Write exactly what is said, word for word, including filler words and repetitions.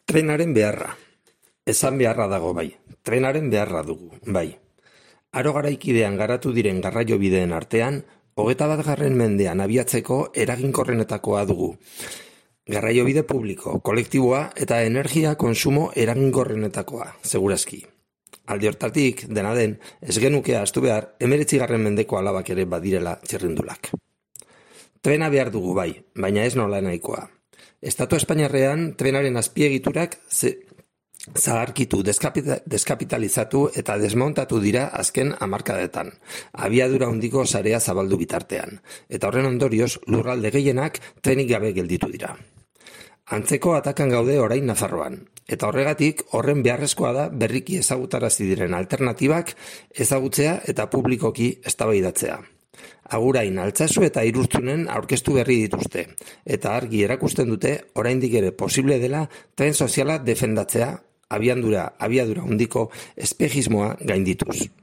Trenaren beharra. Esan beharra dago bai. Trenaren beharra dugu, bai. Aro garaikidean garatu diren garraiobideen artean, hogeita bat garren mendean abiatzeko eraginkorrenetakoa dugu. Garraiobide publiko, kolektiboa eta energia konsumo eraginkorrenetakoa, segurazki. Alde hortatik, dena den, ez genuke ahaztu behar, hemeretzi garren mendeko alabak ere badirela txirrindulak. Trena behar dugu bai, baina ez nola nahikoa. Estatu Espainiarrean trenaren azpiegiturak ze, zaharkitu, deskapita, deskapitalizatu eta desmontatu dira azken hamarkadetan, abiadura handiko sarea zabaldu bitartean, eta horren ondorioz lurralde gehienak trenik gabe gelditu dira. Antzeko atakan gaude orain Nafarroan, eta horregatik horren beharrezkoa da berriki ezagutarazi diren alternatibak ezagutzea eta publikoki eztabaidatzea. Agurain Altsasu eta Irurtzunen aurkeztu berri dituzte, eta argi erakusten dute oraindik ere posible dela tren soziala defendatzea, abiadura, abiadura handiko espejismoa gaindituz.